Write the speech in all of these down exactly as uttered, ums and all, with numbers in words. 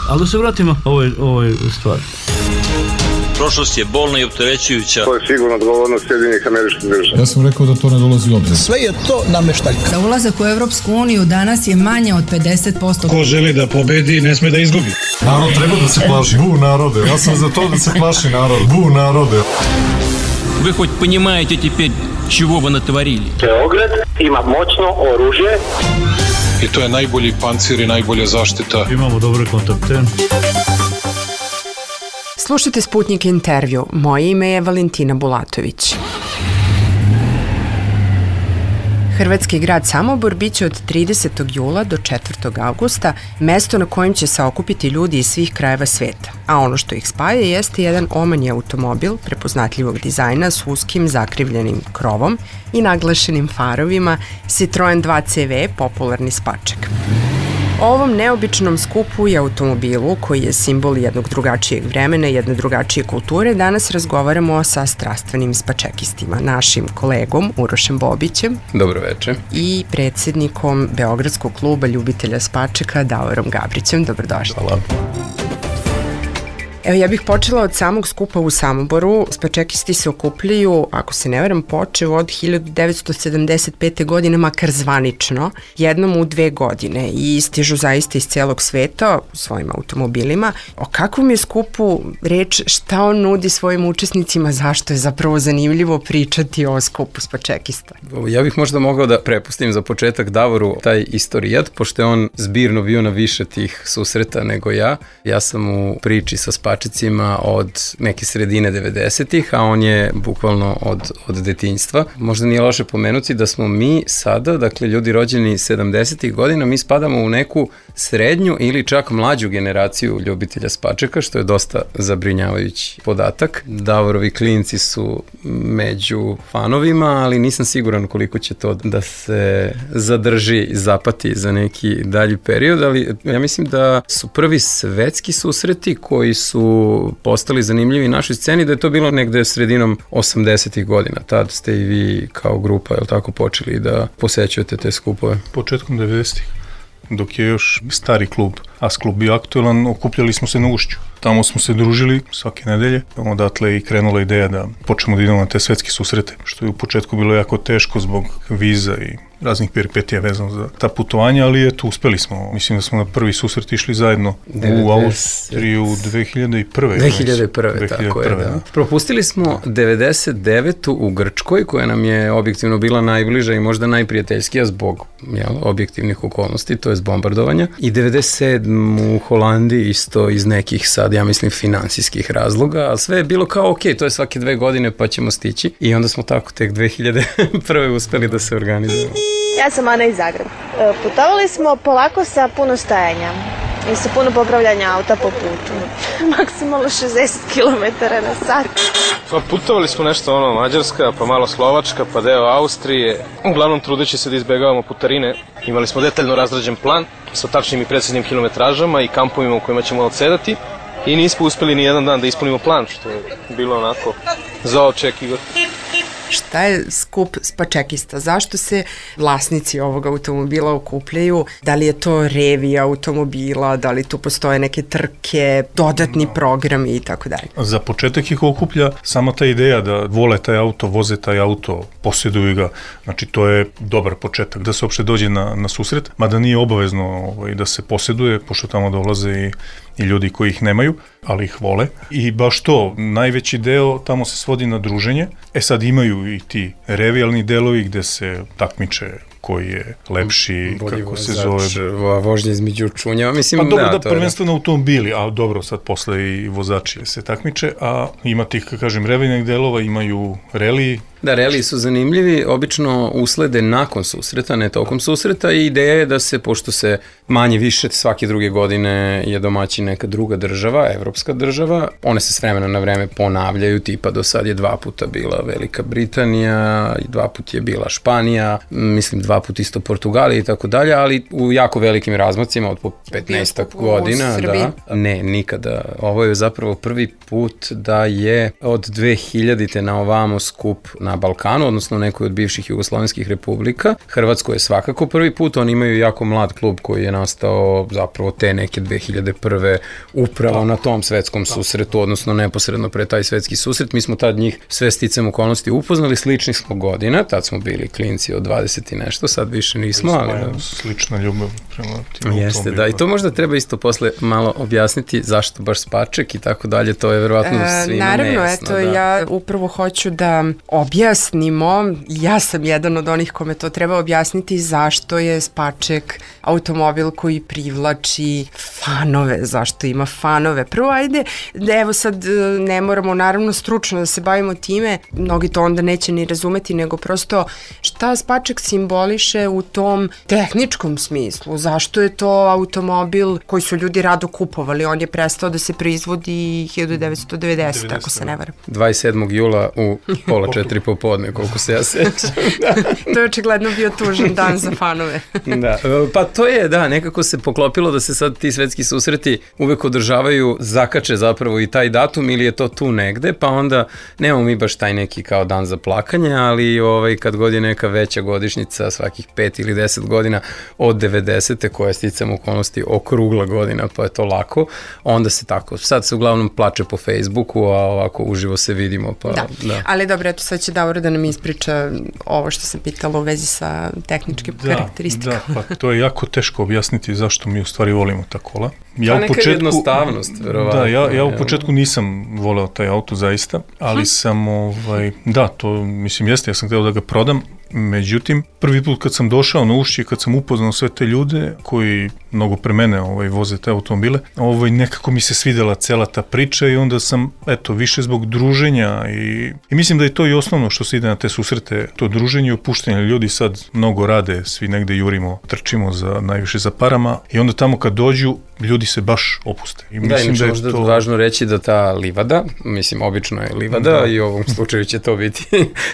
Ali da se vratimo ovoj, ovoj stvari. Prošlost je bolna i opterećujuća. To je sigurno odgovornost Sjedinjenih Američkih Država. Ja sam rekao da to ne dolazi u obzir. Sve je to nameštaljka. Da ulazak u Evropsku uniju danas je manje od pedeset posto. Ko želi da pobedi, ne sme da izgubi. Narod treba da se plaši. Bu narode. Ja sam za to da se plaši narod. Bu narode. Вы хоть понимаете теперь, чего вы натворили? Beograd ima moćno oružje. I to je najbolji pancir i najbolja zaštita. Imamo dobre kontakte. Slušajte Sputnik intervju. Moje ime je Valentina Bulatović. Hrvatski grad Samobor biće od tridesetog jula do četvrtog avgusta mesto na kojem će se okupiti ljudi iz svih krajeva sveta. A ono što ih spaja jeste jedan omanji automobil prepoznatljivog dizajna s uskim zakrivljenim krovom i naglašenim farovima Citroen dva C V, popularni spaček. O ovom neobičnom skupu i automobilu, koji je simbol jednog drugačijeg vremena i jedne drugačije kulture, danas razgovaramo sa strastvenim spačekistima, našim kolegom Urošem Bobićem. Dobro večer. I predsjednikom Beogradskog kluba ljubitelja spačeka Davorom Gabrićem. Dobrodošli. Hvala. Evo, ja bih počela od samog skupa u Samoboru. Spačekisti se okupljaju, ako se ne varam, počeo od hiljadu devetsto sedamdeset pete. godine, makar zvanično, jednom u dve godine i stižu zaista iz celog sveta svojim automobilima. O kakvom je skupu reč, šta on nudi svojim učesnicima, zašto je zapravo zanimljivo pričati o skupu spačekista? Ja bih možda mogao da prepustim za početak Davoru taj istorijat, pošto je on zbirno bio na više tih susreta nego ja. Ja sam u priči sa spačekistima spačecima od neke sredine devedesetih, a on je bukvalno od, od detinjstva. Možda nije loše pomenuti da smo mi sada, dakle ljudi rođeni sedamdesetih godina, mi spadamo u neku srednju ili čak mlađu generaciju ljubitelja spačeka, što je dosta zabrinjavajući podatak. Davorovi klinci su među fanovima, ali nisam siguran koliko će to da se zadrži, zapati za neki dalji period, ali ja mislim da su prvi svetski susreti koji su postali zanimljivi našoj sceni, da je to bilo negde sredinom osamdesetih godina. Tad ste i vi kao grupa, je li tako, počeli da posećujete te skupove? Početkom devedesetih. Dok je još stari klub As klub bio aktuelan, okupljali smo se na Ušću. Tamo smo se družili svake nedelje. Odatle i krenula ideja da počnemo da idemo na te svetske susrete, što je u početku bilo jako teško zbog viza i raznih peripetija vezano za ta putovanja, ali eto, uspeli smo. Mislim da smo na prvi susret išli zajedno u Austriju dve hiljade prve. dve hiljade prve, tako je, da. Propustili smo devedeset devetu u Grčkoj, koja nam je objektivno bila najbliža i možda najprijateljskija zbog jel, objektivnih okolnosti, to je bombardovanja. I devedeset sedmu u Holandiji isto iz nekih sad, ja mislim, finansijskih razloga, ali sve je bilo kao, ok, to je svake dve godine pa ćemo stići. I onda smo tako tek dve hiljade prve uspeli da se organizujemo. Ja sam Ana iz Zagreba. Putovali smo polako sa puno stajanja i sa puno popravljanja auta po putu. Maksimalno šezdeset kilometara na sat. Pa putovali smo nešto ono Mađarska, pa malo Slovačka, pa deo Austrije. Uglavnom trudeći se da izbegavamo putarine. Imali smo detaljno razrađen plan sa tačnim i preciznim kilometražama i kampovima u kojima ćemo odsedati. I nismo uspeli ni jedan dan da ispunimo plan, što je bilo onako za očekivati. Šta je skup spačekista? Zašto se vlasnici ovog automobila okupljaju? Da li je to revija automobila? Da li tu postoje neke trke, dodatni programi i tako dalje? Za početak ih okuplja sama ta ideja da vole taj auto, voze taj auto, posjeduju ga. Znači, to je dobar početak da se uopšte dođe na, na susret, mada nije obavezno ovaj, da se posjeduje, pošto tamo dolaze i i ljudi koji ih nemaju, ali ih vole. I baš to, najveći deo tamo se svodi na druženje. E sad imaju i ti revijalni delovi gde se takmiče koji je lepši, bolji kako vozač, se zove. Vožnje između čunjeva, mislim pa dobro, da. da, to prvenstveno automobili, a dobro, sad posle i vozači se takmiče, a ima tih, kako kažem, revijalnih delova, imaju reliji. Da, reliji su zanimljivi, obično uslede nakon susreta, ne tokom susreta i ideja je da se, pošto se manje više svake druge godine je domaći neka druga država, evropska država, one se s vremena na vreme ponavljaju, tipa do sad je dva puta bila Velika Britanija, dva put je bila Španija, mislim dva put isto Portugalija i tako dalje, ali u jako velikim razmacima od po petnaestak godina. Da, ne, nikada. Ovo je zapravo prvi put da je od dve hiljadite na ovamo skup na Balkanu, odnosno nekoj od bivših jugoslovenskih republika. Hrvatsko je svakako prvi put, oni imaju jako mlad klub koji je nastao zapravo te neke dve hiljade prve upravo na tom svetskom susretu, odnosno neposredno pre taj svetski susret. Mi smo tad njih sve sticam okolnosti upoznali, sličnih smo godina, tad smo bili klinci od dvadeset i nešto, sad više nismo, ali da. Slična ljubav prema tim Jeste, da, i to možda treba isto posle malo objasniti zašto baš Spaček i tako dalje, to je verovatno svima Naravno, nejasno. eto, da. ja upravo hoću da objasnimo, ja sam jedan od onih kome to treba objasniti zašto je Spaček automobil koji privlači fanove, zašto ima fanove. Prvo, ajde, evo sad ne moramo naravno stručno da se bavimo time, mnogi to onda neće ni razumeti, nego prosto šta Spaček simboliše u tom tehničkom smislu, zašto je to automobil koji su ljudi rado kupovali, on je prestao da se proizvodi hiljadu devetsto devedesete. ako se ne varam. dvadeset sedmog jula u pola četiri popodne, koliko se ja sećam. To je očigledno bio tužan dan za fanove. Da, pa to je, da, nekako se poklopilo da se sad ti svetski susreti uvek održavaju, zakače zapravo i taj datum ili je to tu negde, pa onda nemamo mi baš taj neki kao dan za plakanje, ali ovaj, kad god je neka veća godišnjica, svakih pet ili deset godina od devedesete koja sticam okolnosti okrugla godina, pa je to lako, onda se tako, sad se uglavnom plače po Facebooku, a ovako uživo se vidimo. Pa, da. da, ali dobro, eto sad će Davor da nam ispriča ovo što sam pitala u vezi sa tehničkim da, karakteristikama. Da, pa to je jako teško objasniti zašto mi u stvari volimo ta kola. Ja pa u neka početku, jednostavnost, verovatno. Da, ja, ja u početku nisam voleo taj auto zaista, ali hm. sam, ovaj, da, to mislim jeste, ja sam hteo da ga prodam, međutim, prvi put kad sam došao na Ušće, kad sam upoznao sve te ljude koji mnogo pre mene ovaj, voze te automobile, ovaj, nekako mi se svidela cela ta priča i onda sam, eto, više zbog druženja i, i mislim da je to i osnovno što se ide na te susrete, to druženje i opuštanje. Ljudi sad mnogo rade, svi negde jurimo, trčimo za, najviše za parama i onda tamo kad dođu, ljudi se baš opuste. I da, mislim da, da je možda to važno reći da ta livada, mislim, obično je livada da. I u ovom slučaju će to biti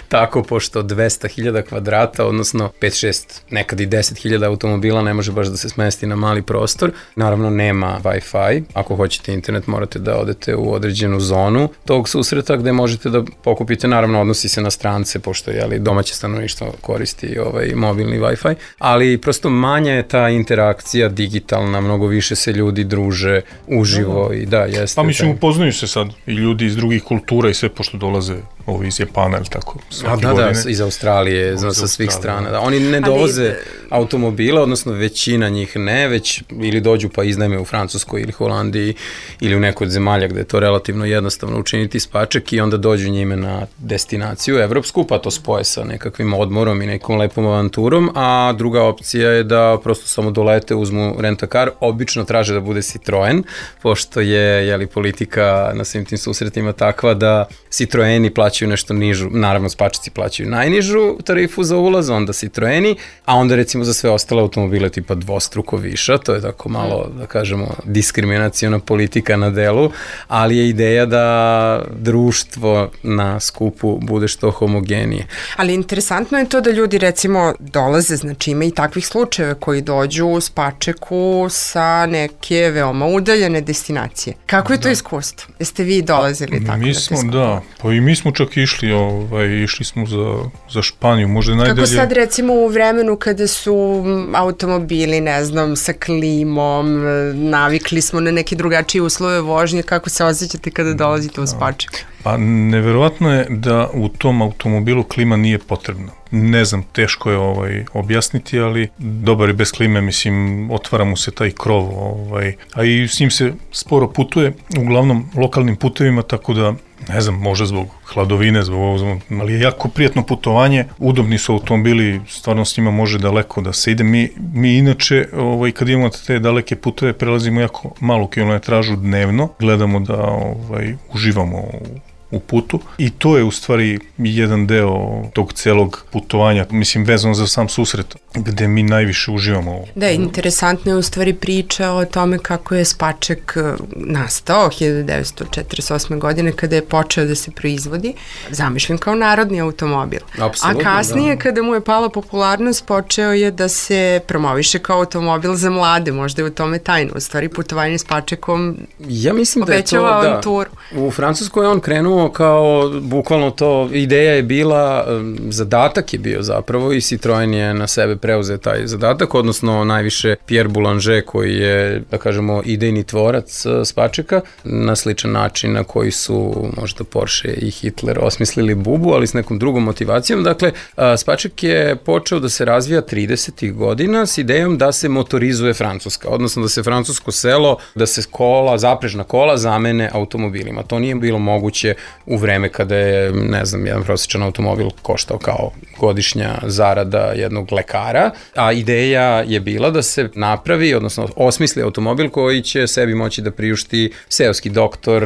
tako, pošto dvesta hiljada kvadrata, odnosno pet šest, nekad i deset hiljada automobila ne može baš da se smesti na mali prostor. Naravno, nema Wi-Fi. Ako hoćete internet, morate da odete u određenu zonu tog susreta gde možete da pokupite. Naravno, odnosi se na strance, pošto je domaće stanovništvo koristi ovaj mobilni Wi-Fi, ali prosto manja je ta interakcija digitalna, mnogo više se ljudi druže uživo i da, jeste. Pa mislim, upoznaju se sad i ljudi iz drugih kultura i sve, pošto dolaze ovi iz Japana ili tako. A da, godine. Da, iz Australije, zna, sa svih strana. Da. Oni ne dovoze ali automobila, odnosno većina njih ne, već ili dođu pa iznajme u Francuskoj ili Holandiji ili u nekoj od zemalja gde je to relativno jednostavno učiniti Spaček i onda dođu njime na destinaciju evropsku, pa to spoje sa nekakvim odmorom i nekom lepom avanturom, a druga opcija je da prosto samo dolete, uzmu rent-a-car, obično traže da bude Citroen, pošto je, jeli, politika na svim tim susretima takva da Citroeni plaćaju nešto nižu, naravno Spačeci plaćaju najnižu tarifu za ulaz, onda Citroeni, a onda recimo za sve ostale automobile tipa dvostruko viša, to je tako malo, da kažemo, diskriminaciona politika na delu, ali je ideja da društvo na skupu bude što homogenije. Ali interesantno je to da ljudi recimo dolaze, znači ima i takvih slučajeva koji dođu u Spačeku sa neke veoma udaljene destinacije. Kako je to da. iskustvo? Jeste vi dolazili tako? Mi smo, da, pa i mi smo čak išli, ovaj, išli smo za, za Španiju, možda najdalje. Kako sad recimo u vremenu kada su automobili, ne znam, sa klimom, navikli smo na neke drugačije uslove vožnje, kako se osjećate kada dolazite u Spaček? Pa neverovatno je da u tom automobilu klima nije potrebna. Ne znam, teško je ovaj, objasniti, ali dobar je bez klime, mislim, otvara mu se taj krov, ovaj, a i s njim se sporo putuje, uglavnom lokalnim putevima, tako da, ne znam, možda zbog hladovine, zbog ovo, ali je jako prijatno putovanje, udobni su automobili, stvarno s njima može daleko da se ide. Mi, mi inače, ovaj, kad imamo te daleke puteve, prelazimo jako malu kilometražu dnevno, gledamo da ovaj, uživamo u u putu i to je u stvari jedan deo tog celog putovanja, mislim vezano za sam susret, gde mi najviše uživamo. Da, interesantno je u stvari priča o tome kako je Spaček nastao hiljadu devetsto četrdeset osme. godine kada je počeo da se proizvodi, zamišljen kao narodni automobil. Apsolutno, a kasnije da. Kada mu je pala popularnost, počeo je da se promoviše kao automobil za mlade, možda je u tome tajno. U stvari putovanje Spačekom ja mislim da je to, avanturu. Da, u Francuskoj on krenuo krenuo kao, bukvalno to, ideja je bila, zadatak je bio zapravo i Citroen je na sebe preuzeo taj zadatak, odnosno najviše Pierre Boulanger koji je, da kažemo, idejni tvorac Spačeka, na sličan način na koji su možda Porsche i Hitler osmislili bubu, ali s nekom drugom motivacijom. Dakle, Spaček je počeo da se razvija tridesetih godina s idejom da se motorizuje Francuska, odnosno da se francusko selo, da se kola, zaprežna kola zamene automobilima. To nije bilo moguće u vreme kada je, ne znam, jedan prosječan automobil koštao kao godišnja zarada jednog lekara, a ideja je bila da se napravi, odnosno osmisli automobil koji će sebi moći da priušti seoski doktor,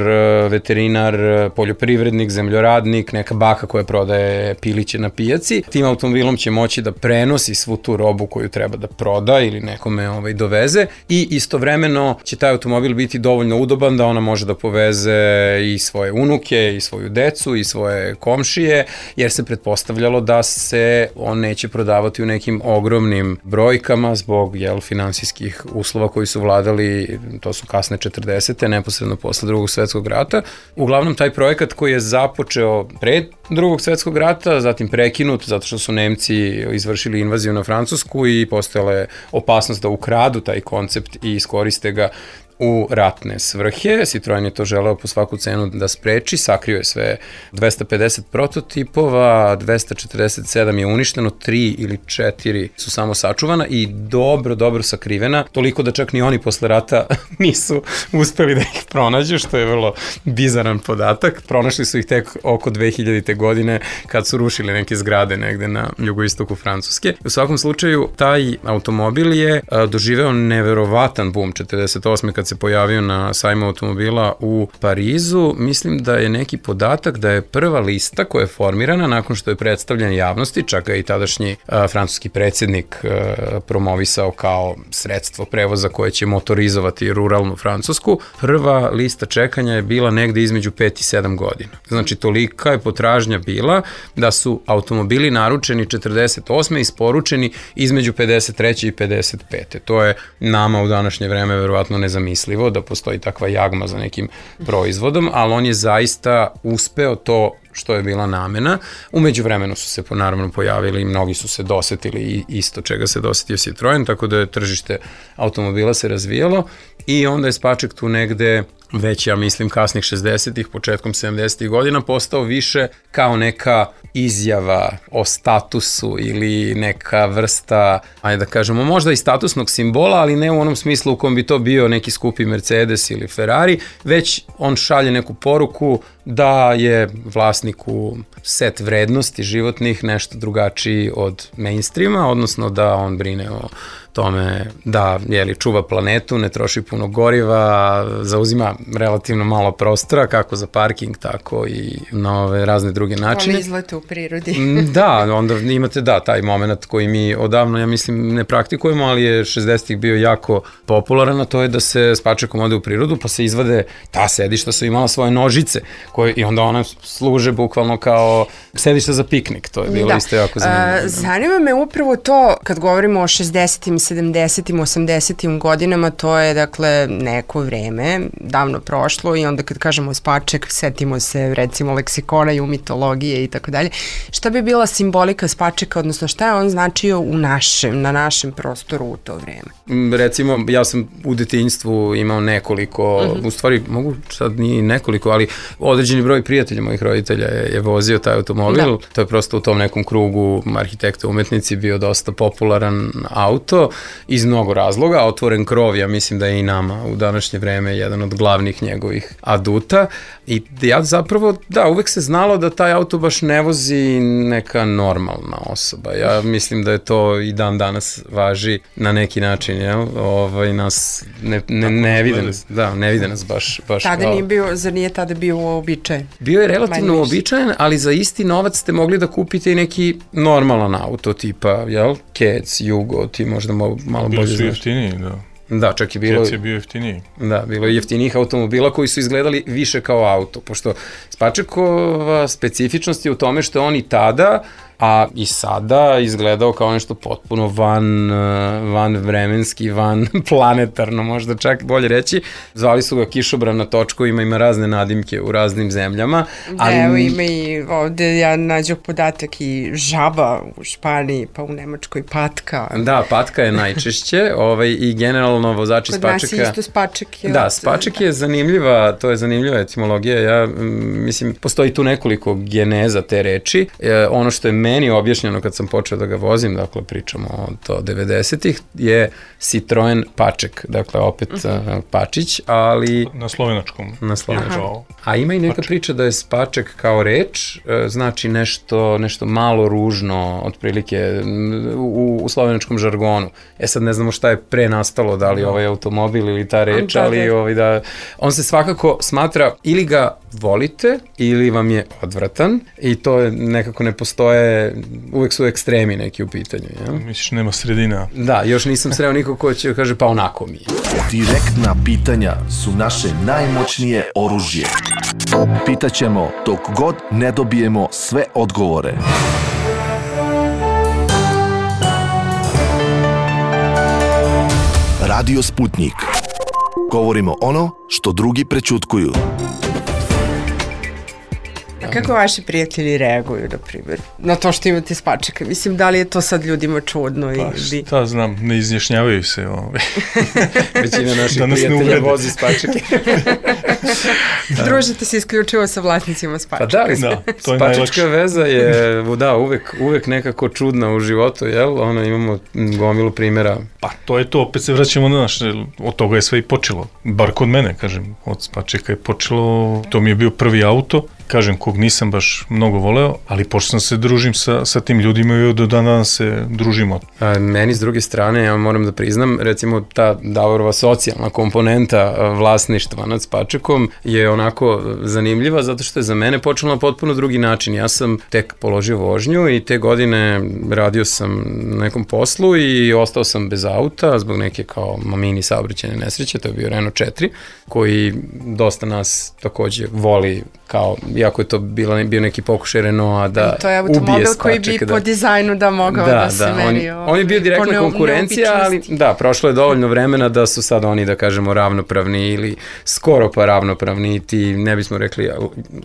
veterinar, poljoprivrednik, zemljoradnik, neka baka koja prodaje piliće na pijaci. Tim automobilom će moći da prenosi svu tu robu koju treba da proda ili nekome ovaj, doveze i istovremeno će taj automobil biti dovoljno udoban da ona može da poveze i svoje unuke i svoju decu i svoje komšije, jer se pretpostavljalo da se on neće prodavati u nekim ogromnim brojkama zbog jel, finansijskih uslova koji su vladali, to su kasne četrdesete, neposredno posle drugog svetskog rata. Uglavnom, taj projekat koji je započeo pre drugog svetskog rata, zatim prekinut zato što su Nemci izvršili invaziju na Francusku i postojala je opasnost da ukradu taj koncept i iskoriste ga u ratne svrhe. Citroen je to želeo po svaku cenu da spreči, sakrio je sve dvesta pedeset prototipova, dvesta četrdeset sedam je uništeno, tri ili četiri su samo sačuvana i dobro, dobro sakrivena, toliko da čak ni oni posle rata nisu uspeli da ih pronađu, što je vrlo bizaran podatak. Pronašli su ih tek oko dve hiljadite godine kad su rušili neke zgrade negde na jugoistoku Francuske. U svakom slučaju, taj automobil je doživeo neverovatan boom četrdeset osme kad se pojavio na sajmu automobila u Parizu. Mislim da je neki podatak da je prva lista koja je formirana nakon što je predstavljen javnosti, čak ga i tadašnji a, francuski predsjednik a, promovisao kao sredstvo prevoza koje će motorizovati ruralnu Francusku. Prva lista čekanja je bila negde između pet i sedam godina. Znači, tolika je potražnja bila da su automobili naručeni četrdeset osme i isporučeni između pedeset treće i pedeset pete To je nama u današnje vreme verovatno nezamislivo da postoji takva jagma za nekim proizvodom, ali on je zaista uspeo to što je bila namena. Umeđu vremenu su se naravno pojavili i mnogi su se dosetili isto čega se dosetio Citroen, tako da je tržište automobila se razvijalo i onda je Spaček tu negde već, ja mislim, kasnih šezdesetih, početkom sedamdesetih godina postao više kao neka izjava o statusu ili neka vrsta, ajde da kažemo, možda i statusnog simbola, ali ne u onom smislu u kom bi to bio neki skupi Mercedes ili Ferrari, već on šalje neku poruku da je vlasniku set vrednosti životnih nešto drugačiji od mainstreama, odnosno da on brine o tome da jeli, čuva planetu, ne troši puno goriva, zauzima relativno malo prostora, kako za parking, tako i na ove razne druge načine. Onda izlete u prirodi. Da, onda imate da, taj moment koji mi odavno, ja mislim, ne praktikujemo, ali je šezdesetih bio jako popularan, a to je da se Spačekom ode u prirodu, pa se izvade ta sedišta su imala svoje nožice, koje, i onda one služe bukvalno kao sedišta za piknik, to je bilo da. Isto jako zanimljivo. A, zanima me upravo to, kad govorimo o šezdesetim, sedamdesetim, osamdesetim godinama, to je dakle neko vreme, davno prošlo i onda kad kažemo Spaček, setimo se recimo leksikona i u mitologije i tako dalje. Šta bi bila simbolika Spačeka, odnosno šta je on značio u našem, na našem prostoru u to vreme? Recimo, ja sam u detinjstvu imao nekoliko, uh-huh. u stvari mogu sad nije nekoliko, ali određeni broj prijatelja mojih roditelja je, je vozio taj automobil. Da. To je prosto u tom nekom krugu arhitekta umetnici bio dosta popularan auto iz mnogo razloga. Otvoren krov, ja mislim da je i nama u današnje vreme jedan od glavnih njegovih aduta. I ja zapravo, da, uvek se znalo da taj auto baš ne vozi neka normalna osoba. Ja mislim da je to i dan danas važi na neki način, jel? Ovaj, nas ne, ne, ne vide nas, da, ne vide nas baš. baš tada nije bio, zar nije tada bio uobičajen? Bio je relativno uobičajen, ali za isti novac ste mogli da kupite i neki normalan auto, tipa, jel? Kec, Jugo, ti možda malo bolje znaš. Bili su jeftiniji, da. Da, čak je bilo... Kec je bio jeftiniji. Da, bilo je jeftinijih automobila koji su izgledali više kao auto, pošto Spačekova specifičnost je u tome što on i tada a i sada izgledao kao nešto potpuno van, van vremenski, van planetarno, možda čak bolje reći. Zvali su ga kišobran na točkovima, ima razne nadimke u raznim zemljama. Ali... Evo ima i ovde, ja nađu podatak i žaba u Španiji, pa u Nemačkoj patka. Da, patka je najčešće ovaj, i generalno vozači Kod spačaka... Kod nas isto spačak je... Da, spačak je zanimljiva, to je zanimljiva etimologija. Ja, mislim, postoji tu nekoliko geneza te reči. E, ono što je meni objašnjeno kad sam počeo da ga vozim, dakle pričamo o devedesetih, je Citroen Paček, dakle opet uh-huh. Pačić, ali... Na slovenačkom. Na slovenačkom. A ima i neka Paček. Priča da je Spaček kao reč, znači nešto, nešto malo ružno, otprilike u, u slovenačkom žargonu. E sad ne znamo šta je pre nastalo, da li ovaj automobil ili ta reč, da, ali da. Ovaj, da, on se svakako smatra ili ga volite ili vam je odvratan i to je nekako ne postoje, uvek su ekstremi neki u pitanju. Ja? Misliš, nema sredina. Da, još nisam sreo nikog ko će kaže pa onako mi je. Direktna pitanja su naše najmoćnije oružje. Pitaćemo dok god ne dobijemo sve odgovore. Radio Sputnik. Govorimo ono što drugi prećutkuju. A kako vaši prijatelji reaguju, na primjer, na to što imate spačaka? Mislim, da li je to sad ljudima čudno? Pa ili... šta znam, ne izjašnjavaju se. Ovaj. Većina naših prijatelja vozi spačake. Da. Družite se isključivo sa vlasnicima spačaka. Pa da, da to je spačačka veza je, da, uvek, uvek nekako čudna u životu, jel? Ono, imamo gomilu primjera. Pa to je to, opet se vraćamo na naš, od toga je sve i počelo. Bar kod mene, kažem, od spačaka je počelo, to mi je bio prvi auto, kažem, kog nisam baš mnogo voleo, ali pošto sam se družim sa, sa tim ljudima i do dana se družimo. A, meni s druge strane, ja moram da priznam, recimo ta Davorova socijalna komponenta vlasništva nad spačakom je onako zanimljiva, zato što je za mene počelo na potpuno drugi način. Ja sam tek položio vožnju i te godine radio sam na nekom poslu i ostao sam bez auta zbog neke kao mini saobraćajne nesreće, to je bio Renault četiri, koji dosta nas takođe voli kao, iako je to bila, bio neki pokušaj Renaulta da ubije spačak. To je automobil koji bi da, po dizajnu da mogao da, da se da, meri. On, on je bio direktna konkurencija, ali da, prošlo je dovoljno vremena da su sad oni, da kažemo, ravnopravni ili skoro pa ravnopravni, ti ne bismo rekli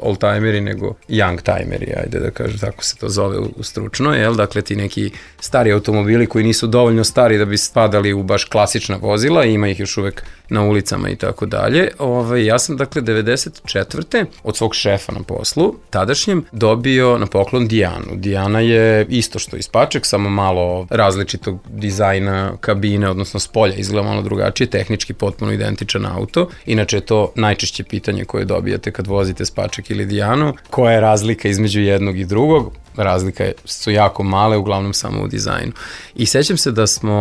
old-timeri, nego young-timeri, ajde da kažem, tako se to zove u, u stručno, jel? Dakle, ti neki stari automobili koji nisu dovoljno stari da bi spadali u baš klasična vozila, ima ih još uvek na ulicama i tako dalje. Ove, ja sam, dakle, devedeset četvrte od svog šefa na poslu, tadašnjem, dobio na poklon Dijanu. Dijana je isto što i spačak, samo malo različitog dizajna kabine, odnosno spolja, izgleda malo drugačije, tehnički potpuno identičan auto. Inače je to najčešće pitanje koje dobijate kad vozite spačak ili Dijanu. Koja je razlika između jednog i drugog? Razlika su jako male, uglavnom samo u dizajnu. I sećam se da smo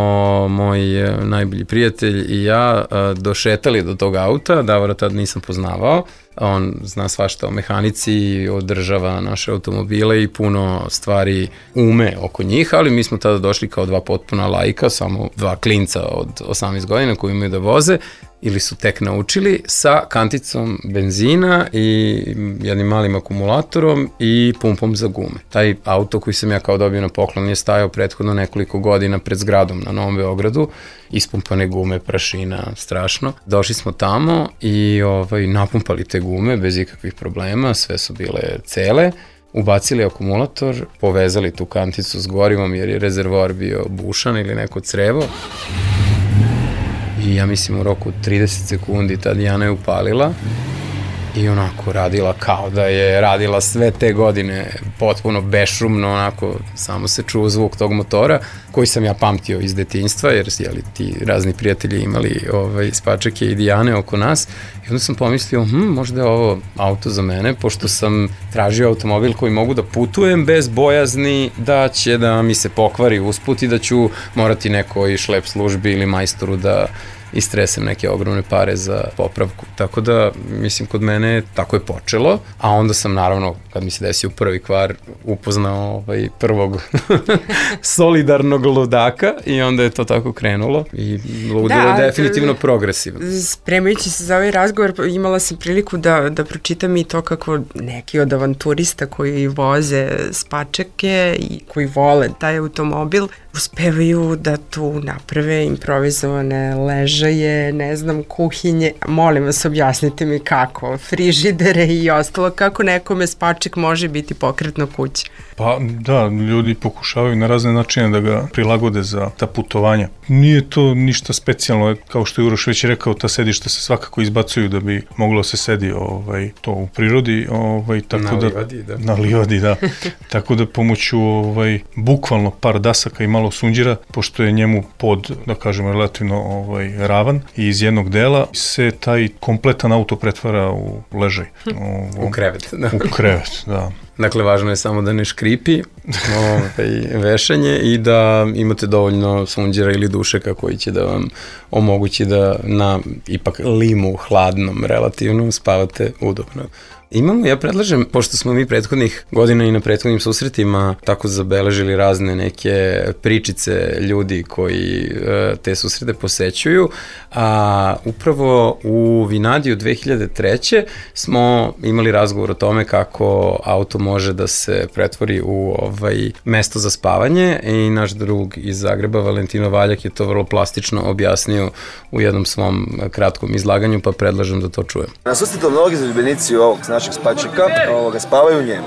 moj najbolji prijatelj i ja došetali do tog auta, Davora tad nisam poznavao, on zna svašta o mehanici, održava naše automobile i puno stvari ume oko njih, ali mi smo tada došli kao dva potpuna laika, samo dva klinca od osamnaest godina koji imaju da voze ili su tek naučili, sa kanticom benzina i jednim malim akumulatorom i pumpom za gume. Taj auto koji sam ja kao dobio na poklon je stajao prethodno nekoliko godina pred zgradom na Novom Beogradu, ispumpane gume, prašina, strašno. Došli smo tamo i ovaj, napumpali te gume bez ikakvih problema, sve su bile cele, ubacili akumulator, povezali tu kanticu s gorivom jer je rezervoar bio bušan ili neko crevo. I ja mislim u roku trideset sekundi ta Dijana je upalila i onako radila kao da je radila sve te godine potpuno bešumno, onako samo se čuo zvuk tog motora koji sam ja pamtio iz detinjstva jer jeli, ti razni prijatelji imali ovaj, spačake i Dijane oko nas i onda sam pomislio hm, možda je ovo auto za mene pošto sam tražio automobil koji mogu da putujem bez bojazni da će da mi se pokvari usput i da ću morati nekoj šlep službi ili majstoru da istresem neke ogromne pare za popravku. Tako da, mislim, kod mene tako je počelo, a onda sam naravno, kad mi se desio prvi kvar, upoznao ovaj prvog solidarnog ludaka i onda je to tako krenulo i ludilo da, je definitivno progresivno. Spremajući se za ovaj razgovor, imala sam priliku da, da pročitam i to kako neki od avanturista koji voze spačake i koji vole taj automobil uspevaju da tu naprave improvizovane ležaje, ne znam, kuhinje. Molim vas, objasnite mi kako, frižidere i ostalo, kako nekome spačak može biti pokretna kuća? Pa da, ljudi pokušavaju na razne načine da ga prilagode za ta putovanja. Nije to ništa specijalno, kao što je Uroš već rekao, ta sedišta se svakako izbacuju da bi moglo se sedi ovaj, to u prirodi. Ovaj, tako na da, livadi, da. Na livadi, da. Tako da pomoću ovaj, bukvalno par dasaka i malo sunđera, pošto je njemu pod, da kažemo, relativno ovaj, ravan i iz jednog dela se taj kompletan auto pretvara u ležaj. U, u krevet. Da. U krevet, da. Dakle, važno je samo da ne škripi ovaj, vešanje i da imate dovoljno sunđera ili dušeka koji će da vam omogući da na ipak limu hladnom relativno spavate udobno. Imamo, ja predlažem, pošto smo mi prethodnih godina i na prethodnim susretima tako zabeležili razne neke pričice ljudi koji e, te susrete posećuju, a upravo u Vinadiju dve hiljade treće smo imali razgovor o tome kako auto može da se pretvori u ovaj mesto za spavanje i naš drug iz Zagreba, Valentino Valjak, je to vrlo plastično objasnio u jednom svom kratkom izlaganju, pa predlažem da to čujem. Na susretu mnogi zaljubljenici ovog našeg spačaka ovoga, spavaju u njemu.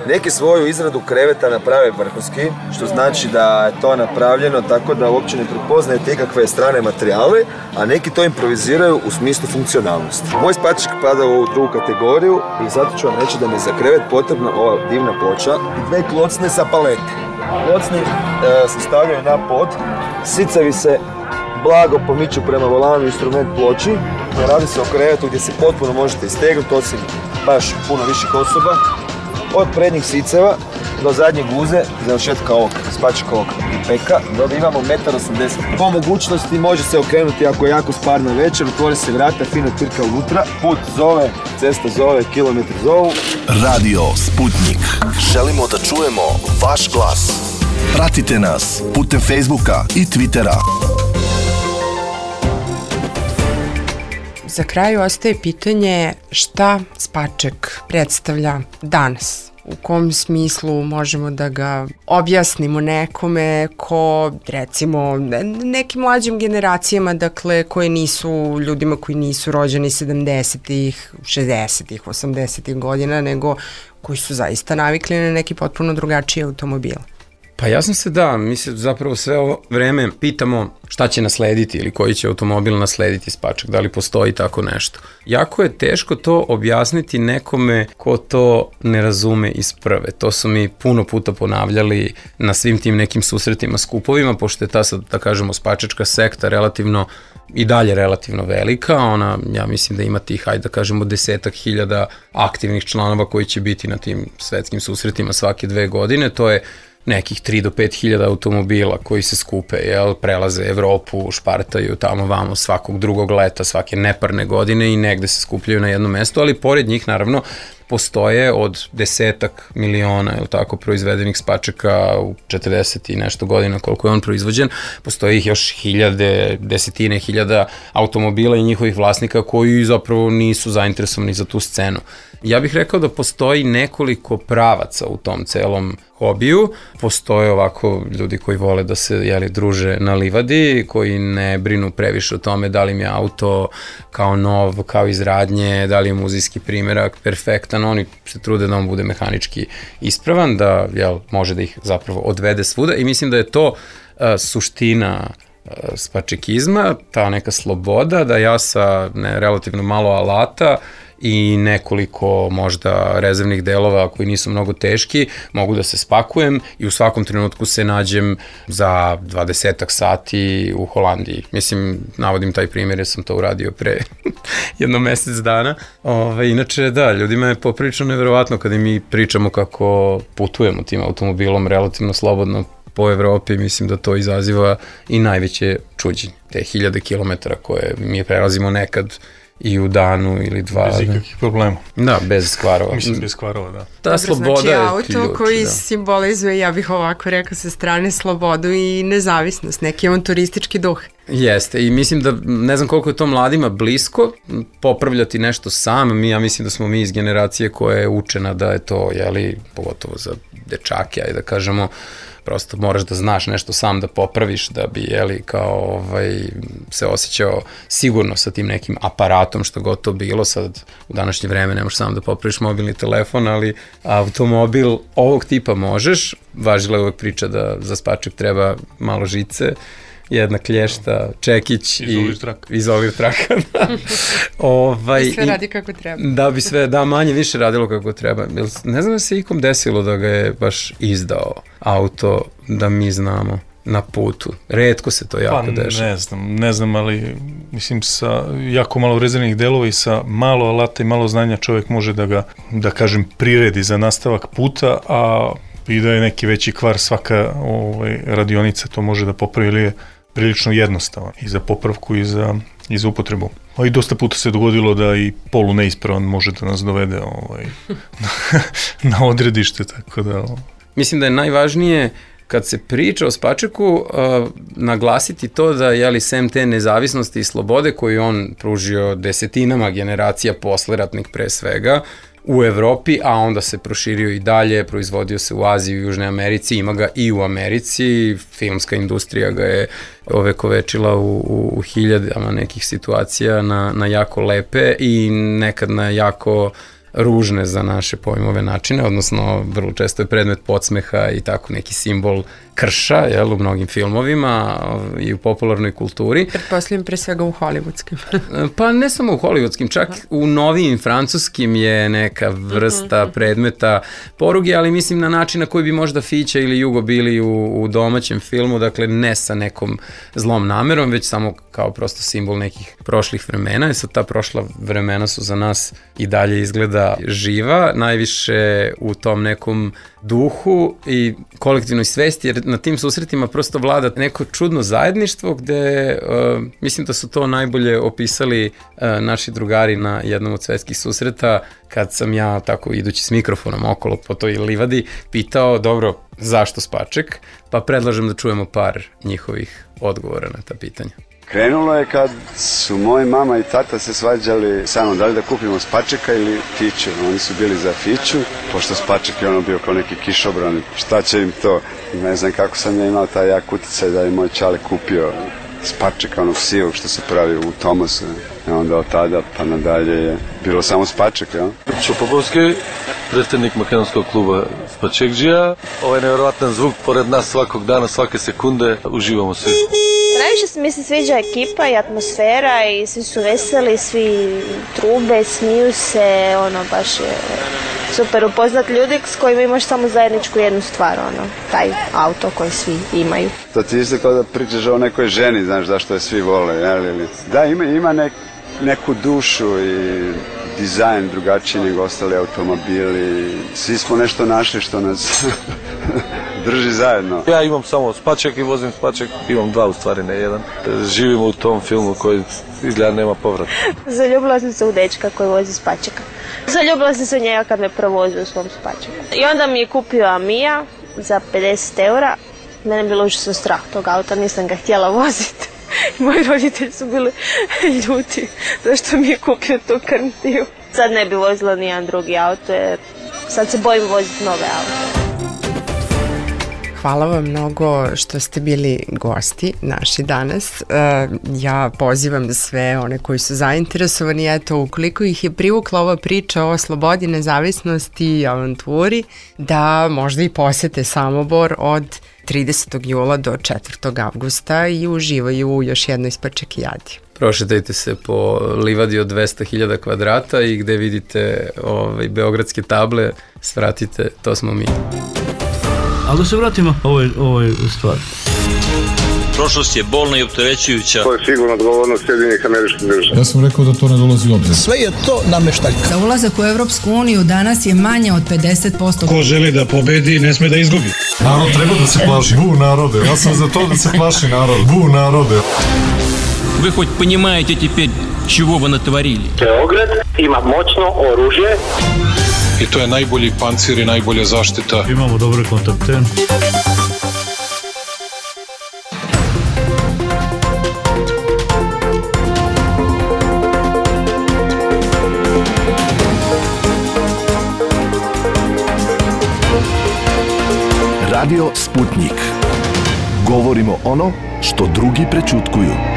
Neki svoju izradu kreveta naprave vrhunski, što znači da je to napravljeno tako da uopće ne prepoznajete ikakve strane materijale, a neki to improviziraju u smislu funkcionalnosti. Moj spačak pada u ovu drugu kategoriju i zato ću vam reći da mi je za krevet potrebna ova divna ploča i dve klocne sa palete. Klocni e, se stavljaju na pod, sicevi se blago pomiču prema volanu instrument ploči. Radi se o krevetu gdje se potpuno možete istegnuti, osim baš puno viših osoba. Od prednjih siceva do zadnje guze, završetka ovog spačakovog peka, dobivamo jedan osamdeset metara. Po mogućnosti može se okrenuti ako je jako sparna večer, otvori se vrata, fina pirka unutra. Put zove, cesta zove, kilometri zovu. Radio Sputnik. Želimo da čujemo vaš glas. Pratite nas putem Facebooka i Twittera. Za kraj ostaje pitanje šta spačak predstavlja danas. U kom smislu možemo da ga objasnimo nekome ko, recimo, nekim mlađim generacijama, dakle, koje nisu, ljudima koji nisu rođeni sedamdesetih, šezdesetih, osamdesetih godina, nego koji su zaista navikli na neki potpuno drugačiji automobil. Pa jasno se da, mi se zapravo sve ovo vreme pitamo šta će naslediti ili koji će automobil naslediti spačak, da li postoji tako nešto. Jako je teško to objasniti nekome ko to ne razume iz prve. To su mi puno puta ponavljali na svim tim nekim susretima, skupovima, pošto je ta, sad, da kažemo, spačačka sekta relativno i dalje relativno velika. Ona, ja mislim da ima tih, hajde da kažemo, desetak hiljada aktivnih članova koji će biti na tim svetskim susretima svake dve godine. To je nekih tri do pet hiljada automobila koji se skupe, jel, prelaze Evropu, špartaju tamo vamo svakog drugog leta, svake neparne godine i negde se skupljaju na jedno mesto, ali pored njih naravno postoje od desetak miliona, jel tako, proizvedenih spačaka u četrdeset i nešto godina koliko je on proizvođen, postoje ih još hiljade, desetine hiljada automobila i njihovih vlasnika koji zapravo nisu zainteresovani za tu scenu. Ja bih rekao da postoji nekoliko pravaca u tom celom hobiju. Postoje ovako ljudi koji vole da se, jeli, druže na livadi, koji ne brinu previše o tome da li im je auto kao nov, kao iz radnje, da li je muzejski primerak perfektan. Oni se trude da on bude mehanički ispravan, da, jel, može da ih zapravo odvede svuda i mislim da je to uh, suština uh, spačekizma, ta neka sloboda da ja sa ne, relativno malo alata i nekoliko možda rezervnih delova koji nisu mnogo teški, mogu da se spakujem i u svakom trenutku se nađem za dvadesetak sati u Holandiji. Mislim, navodim taj primjer jer sam to uradio pre jedno mesec dana. Ove, inače, da, ljudima je poprilično neverovatno kada mi pričamo kako putujemo tim automobilom relativno slobodno po Evropi, mislim da to izaziva i najveće čuđenje. Te hiljade kilometara koje mi prelazimo nekad i u danu ili dva. Bez ikakvih problema. Da, bez skvarova. Mislim, bez skvarova, da. Ta Dobro, sloboda znači, je auto ključ, koji da. simbolizuje, ja bih ovako rekao, sa strane slobodu i nezavisnost, neki on turistički duh. Jeste, i mislim da, ne znam koliko je to mladima blisko, popravljati nešto sam, mi, ja mislim da smo mi iz generacije koja je učena da je to, jeli, pogotovo za dečake, ajde da kažemo, prosto moraš da znaš nešto sam da popraviš, da bi, jeli, kao, ovaj, se osjećao sigurno sa tim nekim aparatom, što god to bilo. Sad, u današnje vreme ne možeš sam da popraviš mobilni telefon, ali automobil ovog tipa možeš. Važila je uvek priča da za spaček treba malo žice, jedna klješta, čekić izolir i traka. Izolir traka, da. ovaj, I sve radi kako treba. Da bi sve, da, manje više radilo kako treba. Ne znam da se ikom desilo da ga je baš izdao auto, da mi znamo, na putu. Retko se to jako pa, dešava. Ne znam, ne znam, ali mislim sa jako malo rezervnih delova i sa malo alata i malo znanja čovjek može da ga, da kažem, priredi za nastavak puta, a i da je neki veći kvar, svaka ovaj, radionica to može da popravi, ili je prilično jednostavan i za popravku i za, i za upotrebu. A i dosta puta se dogodilo da i polu neispravan može da nas dovede ovaj, na odredište, tako da... Mislim da je najvažnije kad se priča o spačeku, uh, naglasiti to da, jeli, sem te nezavisnosti i slobode koju on pružio desetinama generacija posleratnih pre svega, u Evropi, a onda se proširio i dalje, proizvodio se u Aziji, u Južnoj Americi, ima ga i u Americi, filmska industrija ga je ovekovečila u, u, u hiljadama nekih situacija na, na jako lepe i nekad na jako ružne za naše pojmove načine, odnosno vrlo često je predmet podsmeha i tako neki simbol krša, jel, u mnogim filmovima i u popularnoj kulturi. Pretpostavljam pre svega u hollywoodskim. Pa ne samo u hollywoodskim, čak u novijim francuskim je neka vrsta predmeta poruge, ali mislim na način na koji bi možda Fića ili Jugo bili u, u domaćem filmu, dakle ne sa nekom zlom namerom, već samo kao prosto simbol nekih prošlih vremena. I sad ta prošla vremena su za nas i dalje izgleda živa, najviše u tom nekom duhu i kolektivnoj svesti, jer na tim susretima prosto vlada neko čudno zajedništvo gde, uh, mislim da su to najbolje opisali uh, naši drugari na jednom od svetskih susreta, kad sam ja tako idući s mikrofonom okolo po toj livadi pitao, dobro, zašto spaček? Pa predlažem da čujemo par njihovih odgovora na ta pitanja. Krenulo je kad su moji mama i tata se svađali samo da li da kupimo spačeka ili Fiću. Oni su bili za Fiću, pošto spaček je ono bio kao neki kišobran. Šta će im to? Ne znam kako sam ja imao taj jak uticaj da je moj čale kupio spačeka, onog sivog što se pravi u Tomasu. I onda od tada pa nadalje je bilo samo spaček, jel? Šopopovski, predstavnik makedonskog kluba Spačekđija. Ovaj nevjerovatan zvuk pored nas svakog dana, svake sekunde, uživamo svi. Najviše mi se sviđa ekipa i atmosfera i svi su veseli, svi trube, smiju se, ono baš je super upoznat ljudi s kojima imaš samo zajedničku jednu stvar, ono, taj auto koji svi imaju. To ti isto kao da pričaš o nekoj ženi, znaš zašto je svi vole, jel? Da, ima, ima nek, neku dušu i dizajn drugačiji nego ostali automobili. Svi smo nešto našli što nas drži zajedno. Ja imam samo spaček i vozim spaček, imam dva u stvari, ne jedan. Živimo u tom filmu koji izgleda nema povrata. Zaljubila sam se u dečka koji vozi spačeka. Zaljubila sam se u njega kad me provozio u svom spačeku. I onda mi je kupio Amija za pedeset eura. Mene je bilo užasno strah tog auta, nisam ga htjela voziti. Moji roditelji su bili ljuti zašto mi je kupio tu krntiju. Sad ne bi vozila nijedan drugi auto jer sad se bojim voziti nove auto. Hvala vam mnogo što ste bili gosti naši danas. Ja pozivam sve one koji su zainteresovani, eto, ukoliko ih je privukla ova priča o slobodi, nezavisnosti i avanturi, da možda i posete Samobor od tridesetog jula do četvrtog avgusta i uživaju u još jednoj spačekijadi. Prošetajte se po livadi od dvesta hiljada kvadrata i gde vidite ovaj, beogradske table, svratite, to smo mi. Ali da se vratimo ovoj, ovoj stvari. Prošlost je bolna i opterećujuća. To je sigurno odgovornost Sjedinjenih Američkih Država. Ja sam rekao da to ne dolazi u obzir. Sve je to nameštaljka. Za ulazak u Evropsku uniju danas je manje od pedeset posto. Ko želi da pobedi, ne sme da izgubi. Narod treba da se plaši. Bu narode. Ja sam za to da se plaši narod. Bu narode. Вы хоть понимаете теперь, чего вы натворили? Beograd ima moćno oružje. I to je najbolji pancir i najbolja zaštita. Imamo dobre kontakte. Radio Sputnik. Govorimo ono što drugi prećutkuju.